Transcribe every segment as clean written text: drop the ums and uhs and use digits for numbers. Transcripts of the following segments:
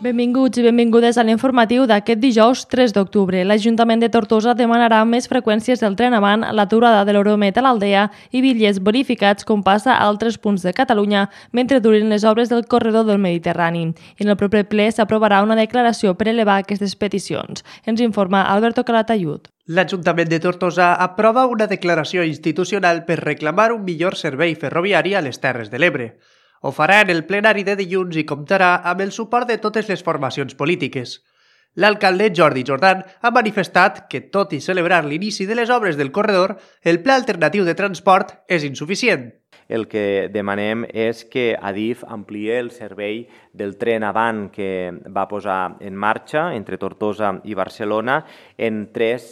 Benvinguts i benvingudes a l'informatiu d'aquest dijous 3 d'octubre. L'Ajuntament de Tortosa demanarà més freqüències del tren avant, l'aturada de l'Euromet a l'Aldea i bitllets bonificats com passa a altres punts de Catalunya mentre durin les obres del corredor del Mediterrani. En el proper ple s'aprovarà una declaració per elevar aquestes peticions. Ens informa Alberto Calatayud. L'Ajuntament de Tortosa aprova una declaració institucional per reclamar un millor servei ferroviari a les Terres de l'Ebre. Ho farà en el plenari de dilluns i comptarà amb el suport de totes les formacions polítiques. L'alcalde Jordi Jordan ha manifestat que, tot i celebrar l'inici de les obres del corredor, el pla alternatiu de transport és insuficient. El que demanem és que Adif ampliï el servei del tren avant que va posar en marxa entre Tortosa i Barcelona en 3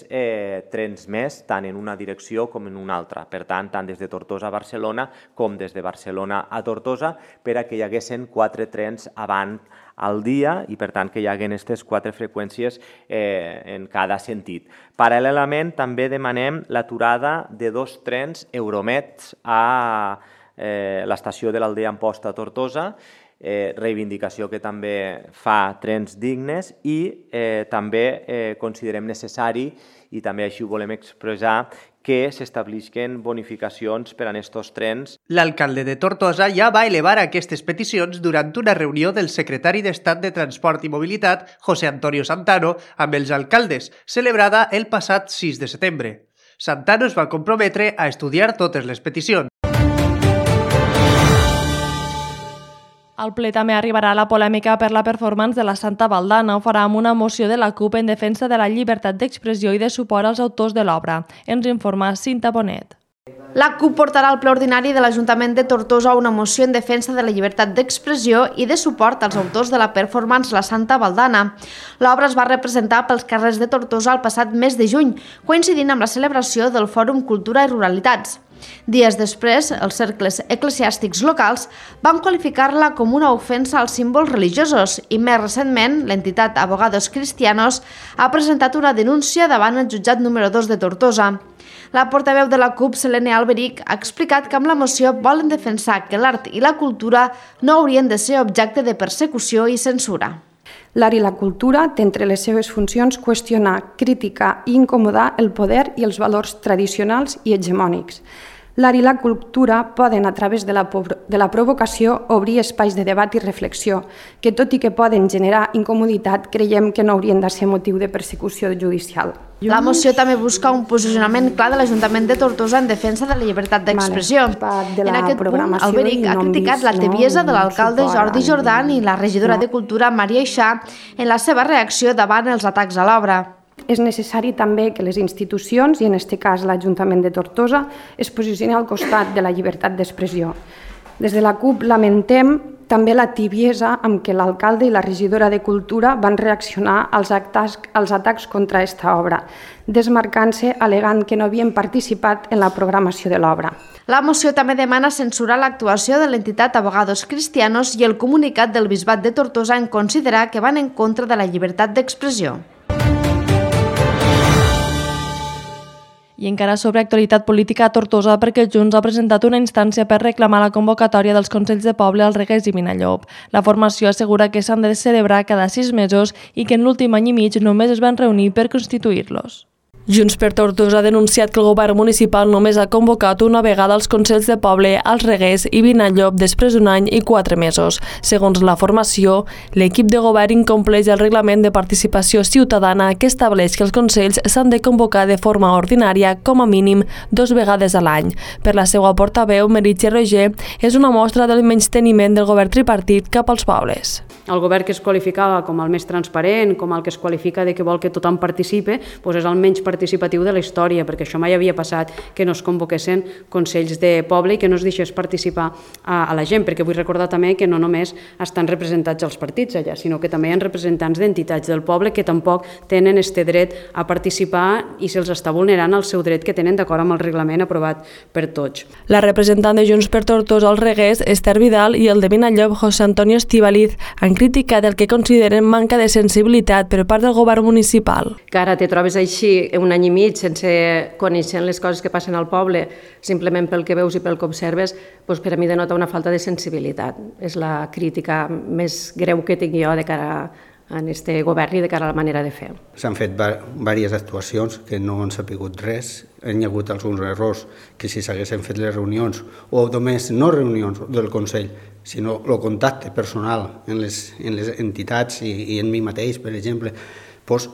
trens més, tant en una direcció com en una altra. Per tant, tant des de Tortosa a Barcelona com des de Barcelona a Tortosa, per a que hi haguessin 4 trens avant al dia i, per tant, que hi haguen aquestes 4 freqüències en cada sentit. Paral·lelament, també demanem l'aturada de 2 trens Euromet a l'estació de l'Aldea Amposta a Tortosa, reivindicació que també fa trens dignes i també considerem necessari, i també així ho volem expressar, que s'establisquen bonificacions per a aquests trens. L'alcalde de Tortosa ja va elevar aquestes peticions durant una reunió del secretari d'Estat de Transport i Mobilitat, José Antonio Santano, amb els alcaldes, celebrada el passat 6 de setembre. Santano es va comprometre a estudiar totes les peticions. Al ple també arribarà la polèmica per la performance de la Santa Valdana. Ho farà amb una moció de la CUP en defensa de la llibertat d'expressió i de suport als autors de l'obra. Ens informa Cinta Bonet. La CUP portarà al ple ordinari de l'Ajuntament de Tortosa una moció en defensa de la llibertat d'expressió i de suport als autors de la performance La Santa Valdana. L'obra es va representar pels carrers de Tortosa el passat mes de juny, coincidint amb la celebració del Fòrum Cultura i Ruralitats. Dies després, els cercles eclesiàstics locals van qualificar-la com una ofensa als símbols religiosos i, més recentment, l'entitat Abogados Cristianos ha presentat una denúncia davant el jutjat número 2 de Tortosa. La portaveu de la CUP, Selene Alberic, ha explicat que amb la moció volen defensar que l'art i la cultura no haurien de ser objecte de persecució i censura. L'art i la cultura té entre les seves funcions qüestionar, criticar i incomodar el poder i els valors tradicionals i hegemònics. L'art i la cultura poden, a través de la provocació, obrir espais de debat i reflexió, que tot i que poden generar incomoditat, creiem que no haurien de ser motiu de persecució judicial. La moció també busca un posicionament clar de l'Ajuntament de Tortosa en defensa de la llibertat d'expressió. En aquest punt, Alberic ha criticat la tebiesa de l'alcalde Jordi Jordan i la regidora de Cultura, Maria Ixà, en la seva reacció davant els atacs a l'obra. És necessari també que les institucions, i en aquest cas l'Ajuntament de Tortosa, es posicionin al costat de la llibertat d'expressió. Des de la CUP lamentem també la tibiesa amb què l'alcalde i la regidora de Cultura van reaccionar als atacs contra aquesta obra, desmarcant-se al·legant que no havien participat en la programació de l'obra. La moció també demana censurar l'actuació de l'entitat Abogados Cristianos i el comunicat del Bisbat de Tortosa en considerar que van en contra de la llibertat d'expressió. I encara sobre actualitat política a Tortosa, perquè Junts ha presentat una instància per reclamar la convocatòria dels Consells de Poble al Reguers i Vinallop. La formació assegura que s'han de celebrar cada 6 mesos i que en l'últim any i mig només es van reunir per constituir-los. Junts per Tortosa ha denunciat que el govern municipal només ha convocat una vegada els Consells de Poble als Reguers i Vinallop després d'un any i 4 mesos. Segons la formació, l'equip de govern incompleix el reglament de participació ciutadana que estableix que els Consells s'han de convocar de forma ordinària com a mínim 2 vegades a l'any. Per la seva portaveu, Meritxell Roger, és una mostra del menysteniment del govern tripartit cap als pobles. El govern que es qualificava com el més transparent, com el que es qualifica de que vol que tothom participi, és el menys participatiu de la història, perquè això mai havia passat que no es convoquessin consells de poble i que no es deixés participar a la gent, perquè vull recordar també que no només estan representats els partits allà, sinó que també hi ha representants d'entitats del poble que tampoc tenen aquest dret a participar i se'ls està vulnerant el seu dret que tenen d'acord amb el reglament aprovat per tots. La representant de Junts per Tortosa als Reguers, Esther Vidal, i el de Vinallop, José Antonio Estíbaliz, han criticat el que consideren manca de sensibilitat per part del govern municipal. Que ara te trobes així un any i mig sense conèixer les coses que passen al poble, simplement pel que veus i pel que observes, doncs per a mi denota una falta de sensibilitat. És la crítica més greu que tinc jo de cara a aquest govern i de cara a la manera de fer. S'han fet diverses actuacions que no han sapigut res. Hi ha hagut alguns errors que si s'haguessin fet les reunions, o només no reunions del Consell, sinó el contacte personal en les entitats i en mi mateix, per exemple, doncs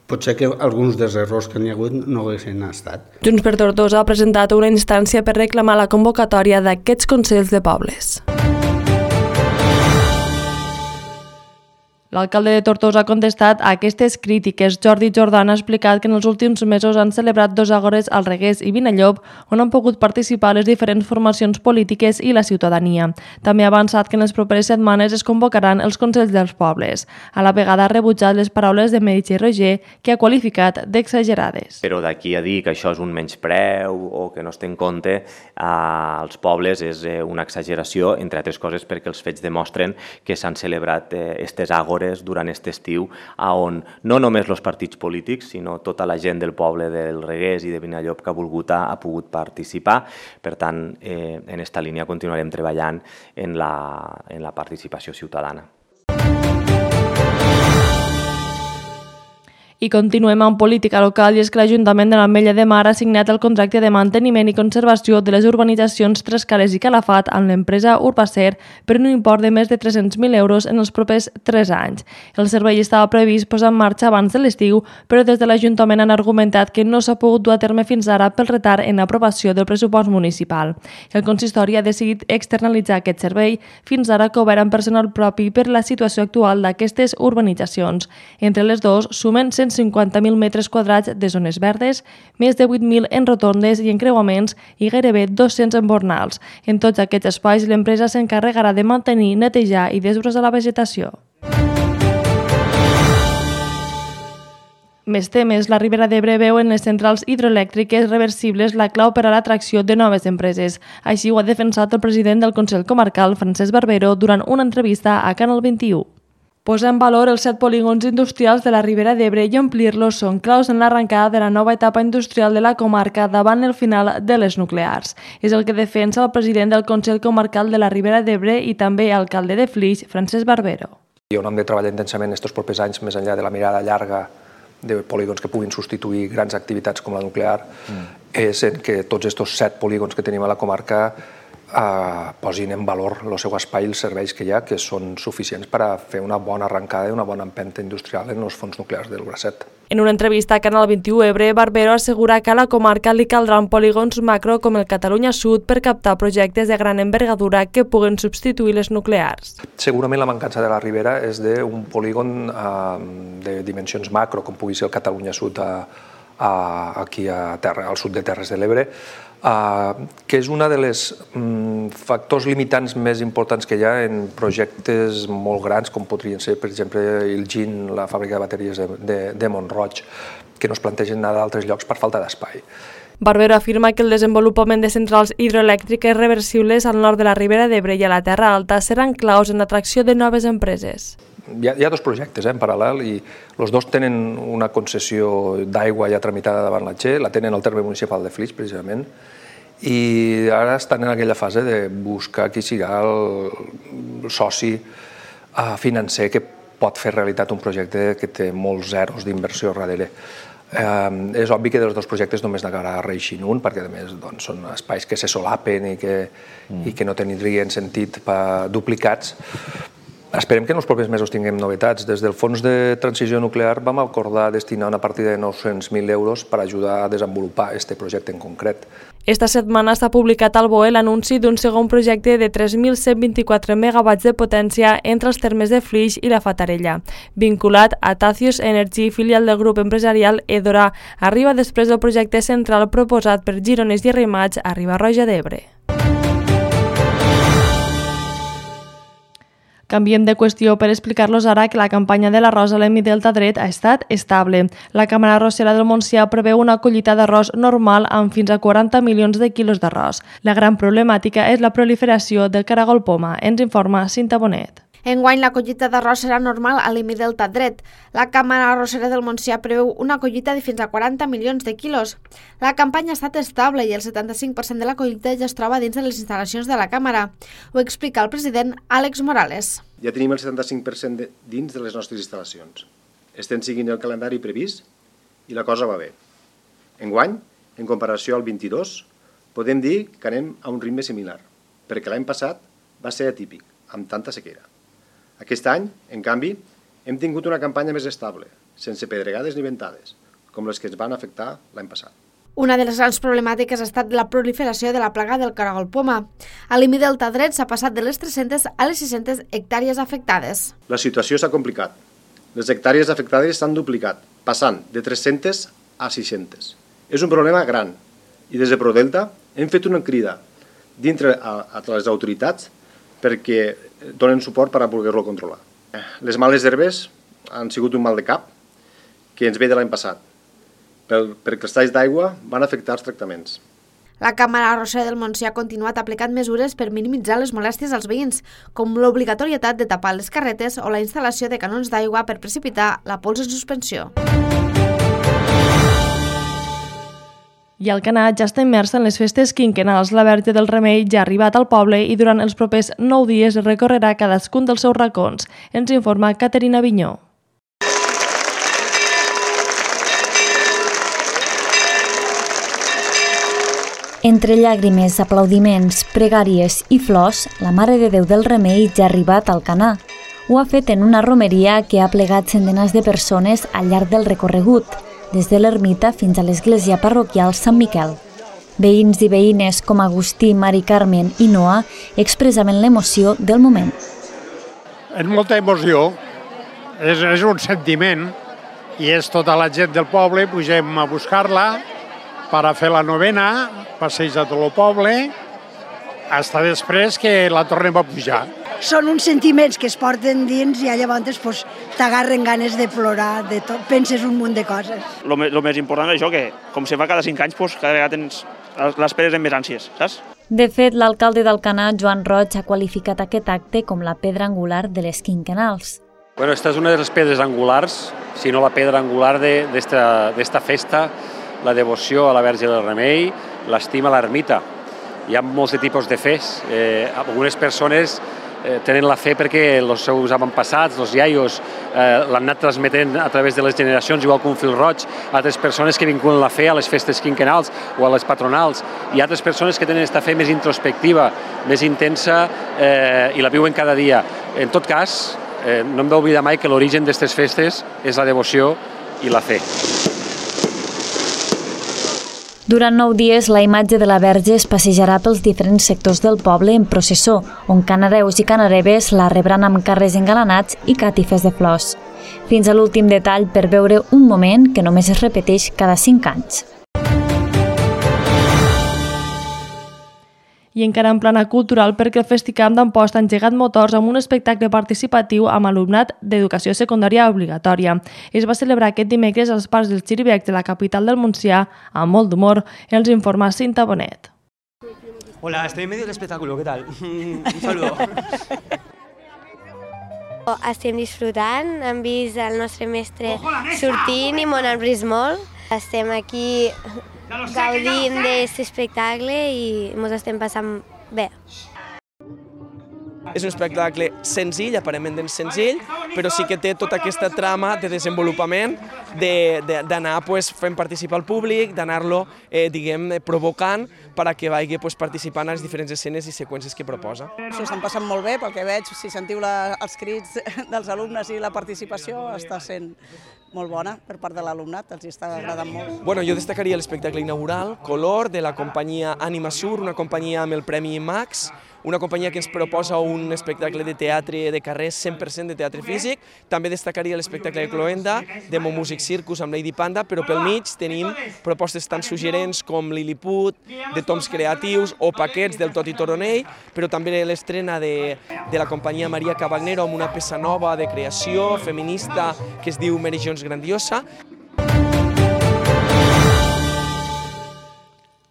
potser que alguns dels errors que n'hi ha hagut no haguessin estat. Junts per Tortosa ha presentat una instància per reclamar la convocatòria d'aquests consells de pobles. L'alcalde de Tortosa ha contestat a aquestes crítiques. Jordi Jordan ha explicat que en els últims mesos han celebrat 2 àgores al Reguers i Vinallop, on han pogut participar les diferents formacions polítiques i la ciutadania. També ha avançat que en les properes setmanes es convocaran els consells dels pobles. A la vegada ha rebutjat les paraules de Meritxell Roger, que ha qualificat d'exagerades. Però d'aquí a dir que això és un menyspreu o que no es té en compte als pobles és una exageració, entre altres coses perquè els fets demostren que s'han celebrat aquestes àgores durant aquest estiu, on no només els partits polítics, sinó tota la gent del poble del Reguers i de Vinallop que ha pogut participar. Per tant, en aquesta línia continuarem treballant en la participació ciutadana. I continuem amb política local, i és que l'Ajuntament de l'Ametlla de Mar ha signat el contracte de manteniment i conservació de les urbanitzacions Trescales i Calafat amb l'empresa Urbacer per un import de més de 300.000 euros en els propers 3 anys. El servei estava previst posar en marxa abans de l'estiu, però des de l'Ajuntament han argumentat que no s'ha pogut dur a terme fins ara pel retard en l'aprovació del pressupost municipal. El consistori ha decidit externalitzar aquest servei, fins ara cobert amb personal propi per la situació actual d'aquestes urbanitzacions. Entre les dues sumen 150.000 metres quadrats de zones verdes, més de 8.000 en rotondes i encreuaments i gairebé 200 en bornals. En tots aquests espais, l'empresa s'encarregarà de mantenir, netejar i desbrossar la vegetació. Més temes, la Ribera d'Ebre veu en les centrals hidroelèctriques reversibles la clau per a l'atracció de noves empreses. Així ho ha defensat el president del Consell Comarcal, Francesc Barbero, durant una entrevista a Canal 21. Posar en valor els 7 polígons industrials de la Ribera d'Ebre i omplir-los són claus en l'arrencada de la nova etapa industrial de la comarca davant el final de les nuclears. És el que defensa el president del Consell Comarcal de la Ribera d'Ebre i també alcalde de Flix, Francesc Barbero. I on hem de treballar intensament aquests propers anys, més enllà de la mirada llarga de polígons que puguin substituir grans activitats com la nuclear, és en que tots aquests 7 polígons que tenim a la comarca posin en valor el seu espai i els serveis que hi ha, que són suficients per a fer una bona arrencada i una bona empenta industrial en els fons nuclears del Bracet. En una entrevista a Canal 21 Ebre, Barbero assegura que a la comarca li caldran polígons macro com el Catalunya Sud per captar projectes de gran envergadura que puguen substituir les nuclears. Segurament la mancança de la Ribera és d'un polígon de dimensions macro, com pugui ser el Catalunya Sud aquí al sud de Terres de l'Ebre, que és un dels factors limitants més importants que hi ha en projectes molt grans, com podrien ser, per exemple, el GIN, la fàbrica de bateries de Mont-roig, que no es plantegen anar d'altres llocs per falta d'espai. Barbero afirma que el desenvolupament de centrals hidroelèctriques reversibles al nord de la Ribera d'Ebre i a la Terra Alta seran claus en l'atracció de noves empreses. Hi ha 2 projectes en paral·lel i els 2 tenen una concessió d'aigua ja tramitada davant la Che, la tenen al terme municipal de Flix, precisament, i ara estan en aquella fase de buscar qui serà el soci financer que pot fer realitat un projecte que té molts zeros d'inversió darrere. És obvi que dels 2 projectes només n'acabarà reeixint un, perquè a més són espais que se solapen i que no tindrien sentit duplicats. Esperem que en els propers mesos tinguem novetats. Des del Fons de Transició Nuclear vam acordar destinar una partida de 900.000 euros per ajudar a desenvolupar aquest projecte en concret. Esta setmana s'ha publicat al BOE l'anunci d'un segon projecte de 3.124 megawatts de potència entre els termes de Flix i la Fatarella. Vinculat a Tacius Energy, filial del grup empresarial Edora, arriba després del projecte central proposat per Gironès i Arrimats a Riba-roja d'Ebre. Canviem de qüestió per explicar-los ara que la campanya de l'arròs a l'Hemidelta dret ha estat estable. La Càmera Arrossera del Montsià preveu una collita d'arròs normal amb fins a 40 milions de quilos d'arròs. La gran problemàtica és la proliferació del caragol poma, ens informa Cinta Bonet. Enguany, la collita d'arròs serà normal a l'IMI Delta Dret. La Càmera Arrossera del Montsià preveu una collita de fins a 40 milions de quilos. La campanya ha estat estable i el 75% de la collita ja es troba dins de les instal·lacions de la Càmera. Ho explica el president Àlex Morales. Ja tenim el 75% dins de les nostres instal·lacions. Estem seguint el calendari previst i la cosa va bé. Enguany, en comparació al 22, podem dir que anem a un ritme similar, perquè l'any passat va ser atípic, amb tanta sequera. Aquest any, en canvi, hem tingut una campanya més estable, sense pedregades ni ventades, com les que ens van afectar l'any passat. Una de les grans problemàtiques ha estat la proliferació de la plaga del caragol poma. A l'IMI Delta Dret s'ha passat de les 300 a les 600 hectàrees afectades. La situació s'ha complicat. Les hectàrees afectades s'han duplicat, passant de 300 a 600. És un problema gran i des de ProDelta hem fet una crida dintre a les autoritats perquè donen suport per a poder-lo controlar. Les males herbes han sigut un mal de cap que ens ve de l'any passat, perquè els talls d'aigua van afectar els tractaments. La Càmera Arrossera del Montsià ha continuat aplicant mesures per minimitzar les molèsties als veïns, com l'obligatorietat de tapar les carretes o la instal·lació de canons d'aigua per precipitar la pols en suspensió. I el Canà ja està immers en les festes quinquennals. La Verge del Remei ja ha arribat al poble i durant els propers 9 dies recorrerà cadascun dels seus racons. Ens informa Caterina Vinyó. Entre llàgrimes, aplaudiments, pregàries i flors, la Mare de Déu del Remei ja ha arribat al Canà. Ho ha fet en una romeria que ha plegat centenars de persones al llarg del recorregut, des de l'ermita fins a l'església parroquial Sant Miquel. Veïns i veïnes com Agustí, Mari Carmen i Noa expressaven l'emoció del moment. És molta emoció, és un sentiment i és tota la gent del poble, pugem a buscar-la per a fer la novena, passeig a tot el poble, fins després que la tornem a pujar. Són uns sentiments que es porten dins i llavors pues, t'agarren ganes de plorar, de tot, penses un munt de coses. El més important és això, que com se fa cada 5 anys, pues, cada vegada tens l'esperes amb més ànsies, saps? De fet, l'alcalde d'Alcanar, Joan Roig, ha qualificat aquest acte com la pedra angular de les quinquennals. Bueno, esta és una de les pedres angulars, si no la pedra angular d'esta festa, la devoció a la Verge del Remei, l'estima a l'ermita. Hi ha molts tipus de fes. Algunes persones tenen la fe perquè els seus avantpassats, els iaios, l'han anat transmetent a través de les generacions, igual que un fil roig, altres persones que vinculen la fe a les festes quinquennals o a les patronals, i altres persones que tenen aquesta fe més introspectiva, més intensa i la viuen cada dia. En tot cas, no hem d'oblidar mai que l'origen d'aquestes festes és la devoció i la fe. Durant 9 dies, la imatge de la Verge es passejarà pels diferents sectors del poble en processó, on canareus i canareves la rebran amb carrers engalanats i càtifes de flors. Fins a l'últim detall per veure un moment que només es repeteix cada 5 anys. I encara en plana cultural, perquè el Festicamp d'Amposta ha engegat motors amb un espectacle participatiu amb alumnat d'educació secundària obligatòria. Es va celebrar aquest dimecres als parcs dels Xiribecs de la capital del Montsià amb molt d'humor. Els informa Cinta Bonet. Hola, estoy en medio del espectáculo, ¿qué tal? Un saludo. Estem disfrutant, hem vist el nostre mestre sortint i m'ho han vist molt. Estem aquí gaudint d'aquest espectacle i ens estem passant bé. És un espectacle senzill, aparentment senzill, però sí que té tota aquesta trama de desenvolupament, d'anar fent participar el públic, d'anar-lo provocant perquè vagi participant en les diferents escenes i seqüències que proposa. S'ho estan passant molt bé, pel que veig, si sentiu els crits dels alumnes i la participació està sent molt bona per part de l'alumnat, els està agradant molt. Bueno, jo destacaria l'espectacle inaugural, Color, de la companyia Animasur, una companyia amb el Premi Max, una companyia que ens proposa un espectacle de teatre de carrer, 100% de teatre físic. També destacaria l'espectacle de Cloenda, Demo Music Circus amb Lady Panda, però pel mig tenim propostes tan suggerents com Lilliput, de Toms Creatius o paquets del Toti Toronell, però també l'estrena de la companyia Maria Cavagnero amb una peça nova de creació feminista que es diu Mary Jones Grandiosa.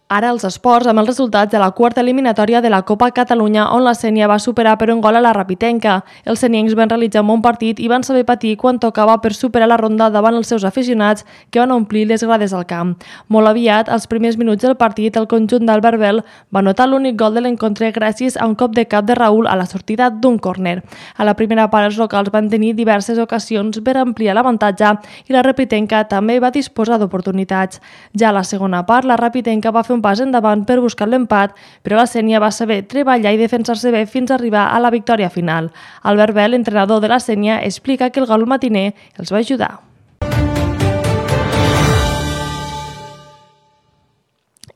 Ara els esports, amb els resultats de la quarta eliminatòria de la Copa Catalunya, on la Sénia va superar per un gol a la Rapitenca. Els seniencs van realitzar un bon partit i van saber patir quan tocava per superar la ronda davant els seus aficionats, que van omplir les grades al camp. Molt aviat, als primers minuts del partit, el conjunt d'Albert Bel va anotar l'únic gol de l'encontre gràcies a un cop de cap de Raül a la sortida d'un córner. A la primera part, els locals van tenir diverses ocasions per ampliar l'avantatge i la Rapitenca també va disposar d'oportunitats. Ja a la segona part, la Rapitenca va fer un pas endavant per buscar l'empat, però la Sénia va saber treballar i defensar-se bé fins a arribar a la victòria final. Albert Bel, entrenador de la Sénia, explica que el gol matiner els va ajudar.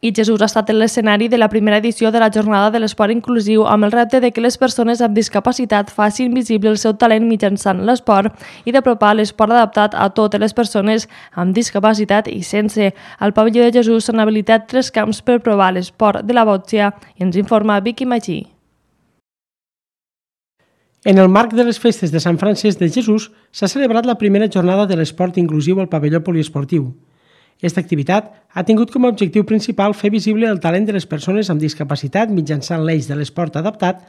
I Jesús ha estat l'escenari de la primera edició de la Jornada de l'Esport Inclusiu amb el repte de que les persones amb discapacitat facin visible el seu talent mitjançant l'esport i d'apropar l'esport adaptat a totes les persones amb discapacitat i sense. Al pavelló de Jesús s'han habilitat 3 camps per provar l'esport de la bòxia i ens informa Vicky Magí. En el marc de les festes de Sant Francesc de Jesús s'ha celebrat la primera jornada de l'esport inclusiu al pavelló poliesportiu. Aquesta activitat ha tingut com a objectiu principal fer visible el talent de les persones amb discapacitat mitjançant l'eix de l'esport adaptat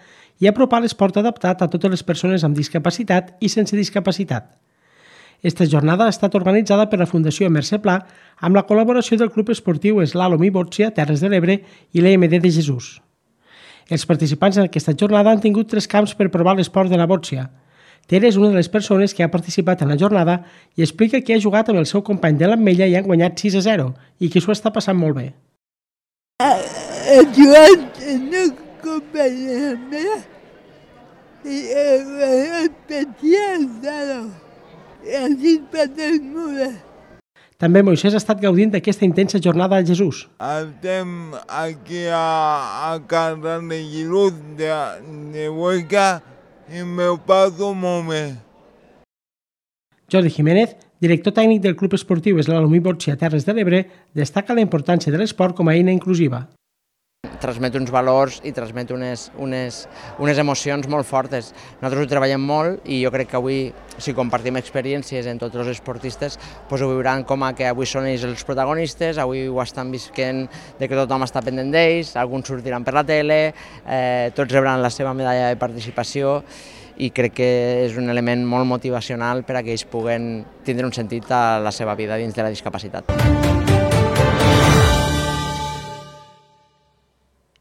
i apropar l'esport adaptat a totes les persones amb discapacitat i sense discapacitat. Aquesta jornada ha estat organitzada per la Fundació Mercè Pla amb la col·laboració del Club Esportiu Eslàlom i Bòxia Terres de l'Ebre i l'EMD de Jesús. Els participants en aquesta jornada han tingut 3 camps per provar l'esport de la bòxia. Tere és una de les persones que ha participat en la jornada i explica que ha jugat amb el seu company de l'Ametlla i han guanyat 6-0 i que s'ho està passant molt bé. He jugat amb el company de l'Ametlla i he guanyat 6-0 i ha sigut molt bé. També Moisès ha estat gaudint d'aquesta intensa jornada a Jesús. Estem aquí a Carrer de Jesús de Huesca i m'ho passo molt bé. Jordi Jiménez, director tècnic del Club Esportiu Eslàlom i Bòxia Terres de l'Ebre, destaca la importància de l'esport com a eina inclusiva. Transmet uns valors i transmet unes emocions molt fortes. Nosaltres ho treballem molt i jo crec que avui, si compartim experiències en tots els esportistes, ho veuran com que avui són ells els protagonistes, avui ho estan visquent de que tothom està pendent d'ells, alguns sortiran per la tele, tots rebran la seva medalla de participació i crec que és un element molt motivacional per a que ells puguen tindre un sentit a la seva vida dins de la discapacitat.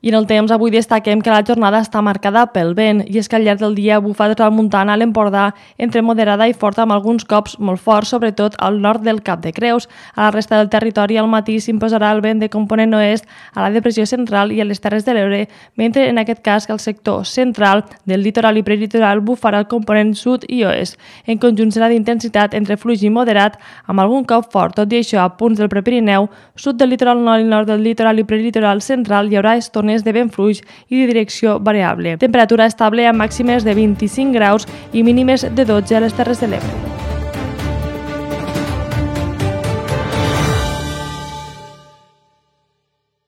I en el temps avui destaquem que la jornada està marcada pel vent i és que al llarg del dia bufa de tramuntana a l'Empordà entre moderada i forta amb alguns cops molt forts, sobretot al nord del Cap de Creus. A la resta del territori al matí s'imposarà el vent de component oest a la depressió central i a les Terres de l'Ebre, mentre en aquest cas que el sector central del litoral i prelitoral bufarà el component sud i oest. En conjunt serà d'intensitat entre fluix i moderat amb algun cop fort. Tot i això, a punts del Prepirineu, sud del litoral nord i nord del litoral i prelitoral central hi haurà estones de vent fluix i de direcció variable. Temperatura estable amb màximes de 25 graus i mínimes de 12 a les Terres de l'Ebre.